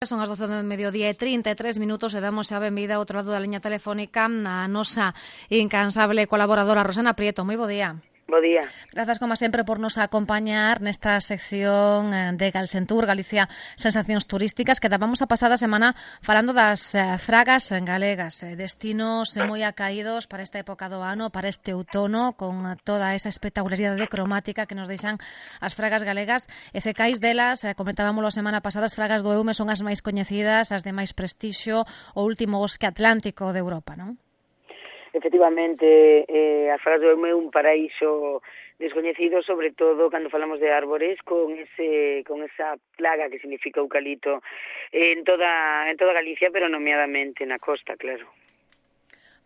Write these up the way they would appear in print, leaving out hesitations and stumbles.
Son as 12 do mediodía e 33 minutos e damos a benvida ao outro lado da liña telefónica a nosa incansable colaboradora Rosana Prieto. Moi bo día. Bo día. Grazas, como sempre, por nos acompañar nesta sección de Galsentur, Galicia Sensacións Turísticas, que dábamos a pasada semana falando das fragas galegas, destinos moi acaídos para esta época do ano, para este outono, con toda esa espectacularidade cromática que nos deixan as fragas galegas. E cecais delas, comentábamos a semana pasada, as fragas do Eume son as máis coñecidas, as de máis prestixio, o último bosque atlántico de Europa, non? Efectivamente, as fragas do Eume é un paraíso descoñecido, sobre todo cando falamos de árbores, con esa plaga que significa eucalipto en toda Galicia, pero nomeadamente na costa, claro.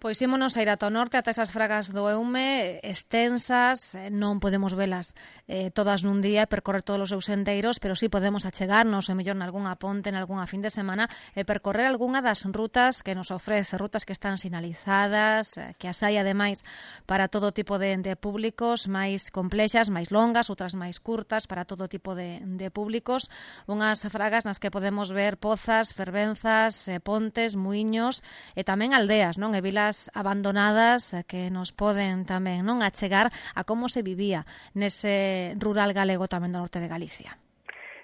Pois ímonos a ir ata o norte, ata esas fragas do Eume, extensas, non podemos velas todas nun día, percorrer todos os seus sendeiros, pero sí podemos achegarnos, ou mellor, nalgúnha ponte, nalgúnha fin de semana, e percorrer algunha das rutas que nos ofrece, rutas que están sinalizadas, que as hai, ademais, para todo tipo de públicos, máis complexas, máis longas, outras máis curtas, para todo tipo de públicos, unhas fragas nas que podemos ver pozas, fervenzas, pontes, muiños, e tamén aldeas, non? E vilas abandonadas que nos poden tamén non achegar a como se vivía nese rural galego tamén do norte de Galicia.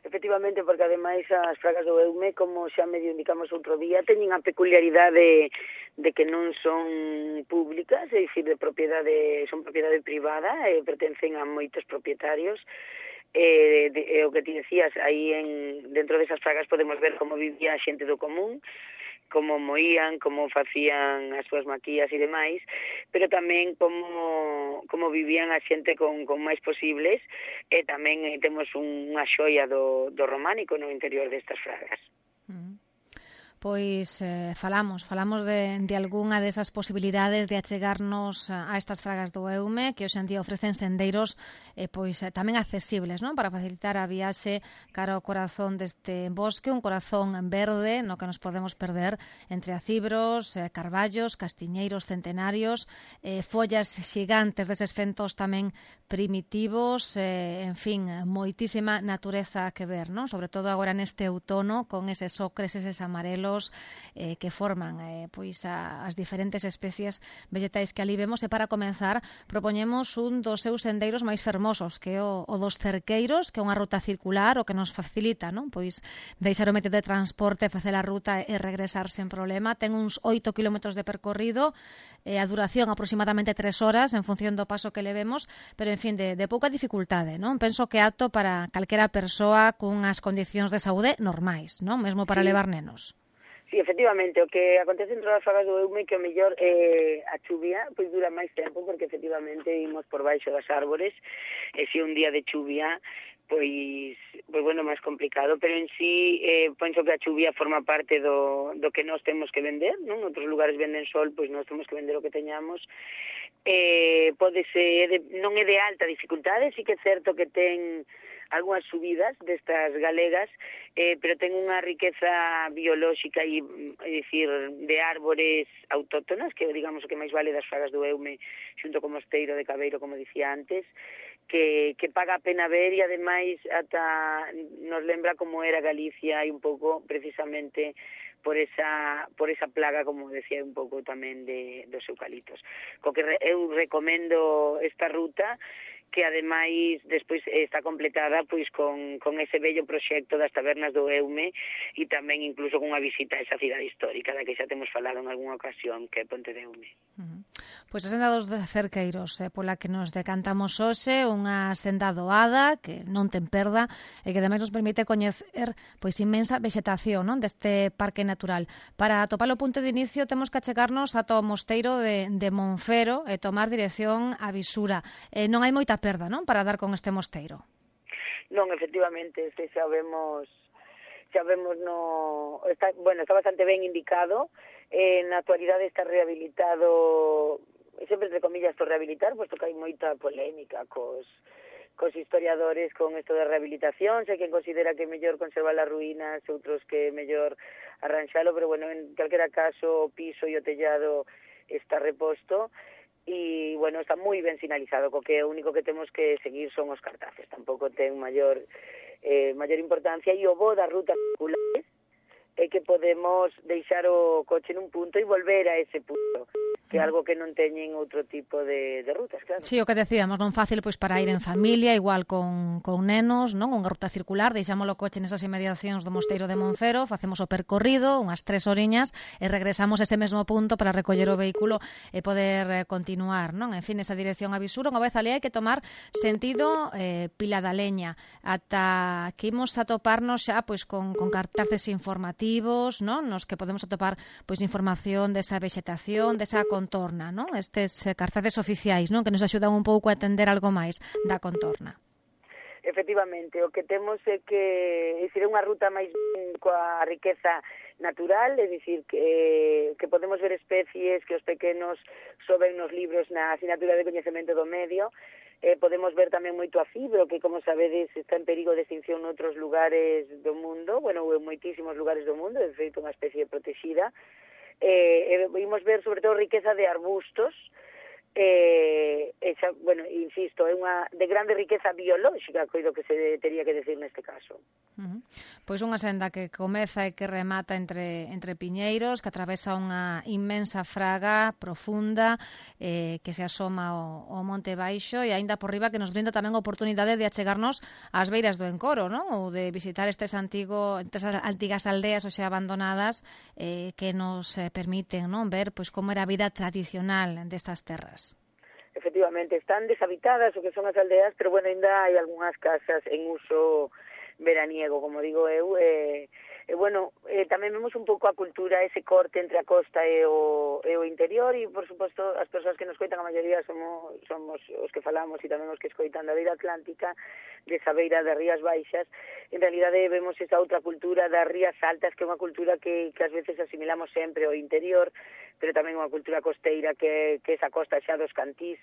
Efectivamente, porque ademais as fragas do Eume, como xa medio indicamos outro día, teñen a peculiaridade de que non son públicas, é dicir, son propiedade privada e pertencen a moitos propietarios. O que ti decías, aí dentro desas fragas podemos ver como vivía a xente do común, como moían, como facían as súas maquillas e demais, pero tamén como vivían a xente con máis posibles, e tamén temos unha xoia do románico no interior destas fragas. Pois falamos de algunha desas posibilidades de achegarnos a estas fragas do Eume, que hoxe en día ofrecen sendeiros tamén accesibles, non? Para facilitar a viaxe cara ao corazón deste bosque, un corazón verde no que nos podemos perder entre acibros, carballos, castiñeiros centenarios, follas xigantes deses fentos tamén primitivos, en fin, moitísima natureza que ver, non? Sobre todo agora neste outono, con eses ocres, eses amarelos que forman as diferentes especies vegetais que ali vemos. E para comenzar propoñemos un dos seus sendeiros máis fermosos, que é o dos cerqueiros, que é unha ruta circular, o que nos facilita, non? Pois deixar o método de transporte, facer a ruta e regresar sen problema. Ten uns 8 kilómetros de percorrido, a duración aproximadamente 3 horas en función do paso que levemos, pero en fin, de pouca dificultade, non? Penso que é apto para calquera persoa cunhas condicións de saúde normais, non? Mesmo para levar nenos. Sí, efectivamente, o que acontece entre as fragas do Eume que o mellor a chuvia pois dura máis tempo, porque efectivamente imos por baixo das árbores, e se un día de chuvia pois bueno, máis complicado, pero en sí penso que a chuvia forma parte do que nós temos que vender, non? En outros lugares venden sol, pois nós temos que vender o que teñamos. Pode ser, non é de alta dificultade, sí que é certo que ten algunhas subidas destas galegas, pero ten unha riqueza biolóxica e, dicir, de árbores autóctonas, que digamos o que máis vale das fragas do Eume, xunto co mosteiro de Cabeiro, como dicía antes, que paga a pena ver, e ademais ata nos lembra como era Galicia e un pouco precisamente por esa plaga, como decía, un pouco tamén dos eucaliptos. Co que eu recomendo esta ruta, que ademais despois está completada pois con ese bello proxecto das tabernas do Eume, e tamén incluso con unha visita a esa cidade histórica da que xa temos falado en algunha ocasión, que é Ponte de Eume. Pois a senda dos cerqueiros, pola que nos decantamos hoxe, unha senda doada que non ten perda e que ademais nos permite coñecer pois inmensa vexetación, non, deste parque natural. Para atopar o punto de inicio temos que achegarnos ata o mosteiro de Monfero e tomar dirección a Visura. Non hai moita perda, non, para dar con este mosteiro? Non, efectivamente, xa vemos está bastante ben indicado. Na actualidade está rehabilitado, sempre entre comillas por rehabilitar, posto que hai moita polémica cos historiadores con isto de rehabilitación. Sei quen considera que é mellor conservar as ruínas, outros que é mellor arranxalo, pero bueno, en calquera caso o piso e o tellado está reposto, e, bueno, está moi ben sinalizado, co que o único que temos que seguir son os cartaces, tampouco ten maior importancia, e o bo das rutas circulares que podemos deixar o coche nun punto e volver a ese punto, que é algo que non teñen outro tipo de rutas, claro. Sí, o que decíamos, non fácil pois para ir en familia, igual con nenos, non? Unha ruta circular, deixamos o coche nesas inmediacións do Mosteiro de Monfero, facemos o percorrido, unhas 3 horiñas, e regresamos a ese mesmo punto para recoller o vehículo e poder continuar, non? En fin, esa dirección a Visuro, unha vez ali hai que tomar sentido Pila da Leña, ata que imos a toparnos xa pois con cartaces informativos, non? Nos que podemos atopar pois información desa vexetación, desa contorna, non? Estes cartaces oficiais, non? Que nos axudan un pouco a entender algo máis da contorna. Efectivamente, o que temos é que é unha ruta máis coa riqueza natural, é dicir, que podemos ver especies que os pequenos soben nos libros na asignatura de coñecemento do medio. Podemos ver tamén moito a fibro, que, como sabedes, está en perigo de extinción noutros lugares do mundo, bueno, en moitísimos lugares do mundo, de feito, unha especie protexida. Vimos ver, sobre todo, riqueza de arbustos, bueno, insisto, é unha de grande riqueza biolóxica, coido que se tería que decir neste caso. Pois unha senda que comeza e que remata entre piñeiros, que atravesa unha inmensa fraga profunda que se asoma ao Monte Baixo e aínda por riba que nos brinda tamén a oportunidade de achegarnos ás beiras do Encoro, non? Ou de visitar estas antigas aldeas ou xa abandonadas que nos permiten, non, ver pois como era a vida tradicional destas terras. Efectivamente, están deshabitadas o que son as aldeas, pero bueno, ainda hai algunhas casas en uso veraniego, como digo eu, bueno, tamén vemos un pouco a cultura, ese corte entre a costa e o interior, e por suposto as persoas que nos coitan, a maioría somos os que falamos e tamén os que escoitan da beira atlántica, desa beira das Rías Baixas. En realidade vemos esa outra cultura das Rías Altas, que é unha cultura que ás veces asimilamos sempre ao interior, pero tamén unha cultura costeira que esa costa xa dos Cantís,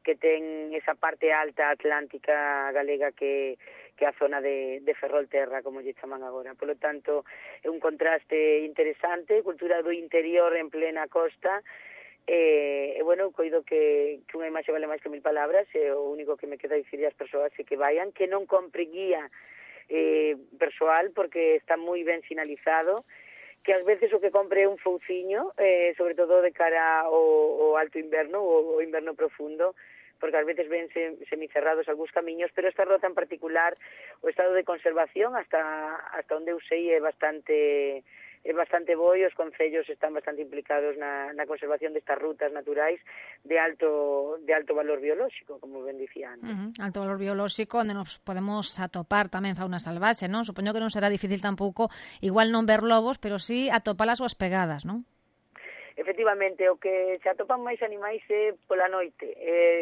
que ten esa parte alta atlántica galega que a zona de Ferrolterra, como lle chaman agora. Por lo tanto, é un contraste interesante, cultura do interior en plena costa, e bueno, coido que unha imaxe vale máis que 1000 palabras, e o único que me queda dicir ás persoas é que vayan, que non compre guía persoal, porque está moi ben sinalizado, que ás veces o que compre é un fouciño, sobre todo de cara ao alto inverno, ou o inverno profundo, porque ás veces ven semicerrados algúns camiños, pero esta rota en particular, o estado de conservación, hasta onde eu sei, é bastante bo, e os concellos están bastante implicados na conservación destas rutas naturais de alto valor biolóxico, como ben dicía antes. Alto valor biolóxico, onde nos podemos atopar tamén fauna salvaxe, non? Supoño que non será difícil tampouco, igual non ver lobos, pero sí atopar as súas pegadas, non? Efectivamente, o que se atopan máis animais é pola noite.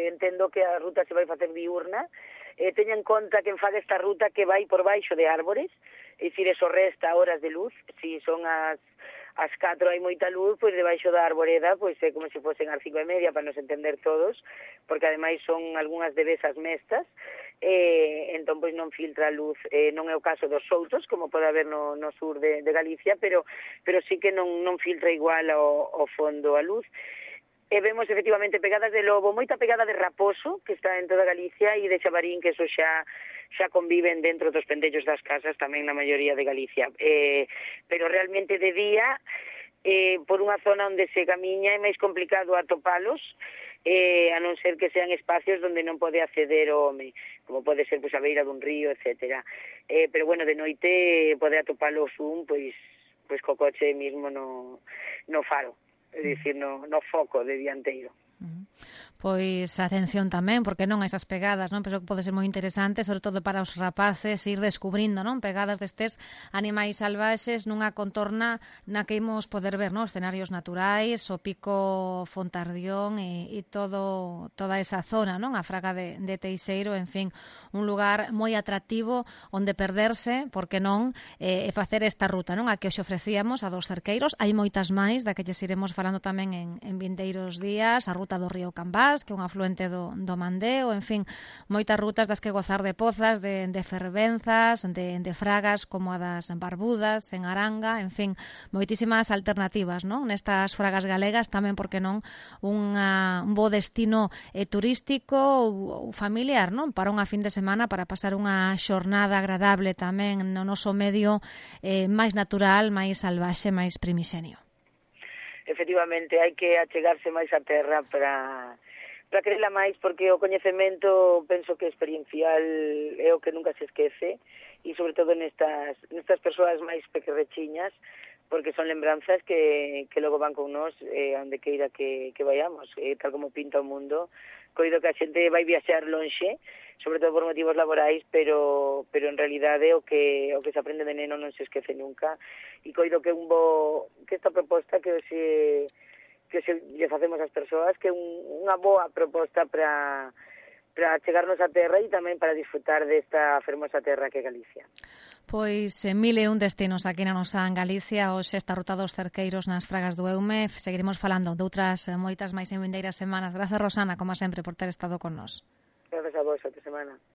Entendo que a ruta se vai facer diurna. Teña en conta que en faga esta ruta que vai por baixo de árbores, é dicir, eso resta horas de luz. Si son as 4 hai moita luz, pois debaixo da arboreda, pois é como se fosen as 5:30 para nos entender todos, porque ademais son algunhas devesas mestas, entón pois non filtra a luz, non é o caso dos soutos, como pode haber no sur de Galicia, pero sí que non filtra igual ao fondo a luz. E vemos efectivamente pegadas de lobo, moita pegada de raposo, que está en toda Galicia, e de xabarín, que eso xa conviven dentro dos pendellos das casas, tamén na maioría de Galicia. Pero realmente de día, por unha zona onde se camiña, é máis complicado atopalos, a non ser que sean espacios onde non pode acceder o home, como pode ser pois a beira dun río, etcétera. Pero bueno, de noite pode atopalos pois co coche mismo no faro. É dicir, no foco de dianteiro. Pois atención tamén, porque non esas pegadas, non? Penso que pode ser moi interesante, sobre todo para os rapaces, ir descubrindo, non? Pegadas destes animais salvaxes nunha contorna na que imos poder ver, non? Escenarios naturais, o pico Fontardión e toda esa zona, non? A fraga de Teixeiro, en fin, un lugar moi atractivo onde perderse, porque non, e facer esta ruta, non? A que os ofrecíamos a dos cerqueiros, hai moitas máis, da que lles iremos falando tamén en vindeiros días, a ruta do río Cambá, Foz, que é un afluente do Mandeo, en fin, moitas rutas das que gozar de pozas, de fervenzas, de fragas como a das Barbudas, en Aranga, en fin, moitísimas alternativas, non? Nestas fragas galegas tamén, porque non, un bo destino turístico ou familiar, non? Para unha fin de semana, para pasar unha xornada agradable tamén no noso medio máis natural, máis salvaxe, máis primixenio. Efectivamente, hai que achegarse máis á terra para creela máis, porque o coñecemento penso que experiencial é o que nunca se esquece, e sobre todo nestas persoas máis pequerrechiñas, porque son lembranzas que logo van con nós onde queira que vayamos, tal como pinta o mundo. Coido que a xente vai viaxar lonxe, sobre todo por motivos laborais, pero en realidade o que se aprende de neno non se esquece nunca, e coido que esta proposta que lle facemos ás persoas, que é unha boa proposta para chegarnos á terra e tamén para disfrutar desta fermosa terra que é Galicia. Pois 1001 destinos aquí na nosa Galicia, hoxe esta ruta dos cerqueiros nas Fragas do Eume. Seguiremos falando doutras moitas máis en vindeiras semanas. Grazas, Rosana, como sempre, por ter estado con nós. Grazas a vos, outra semana.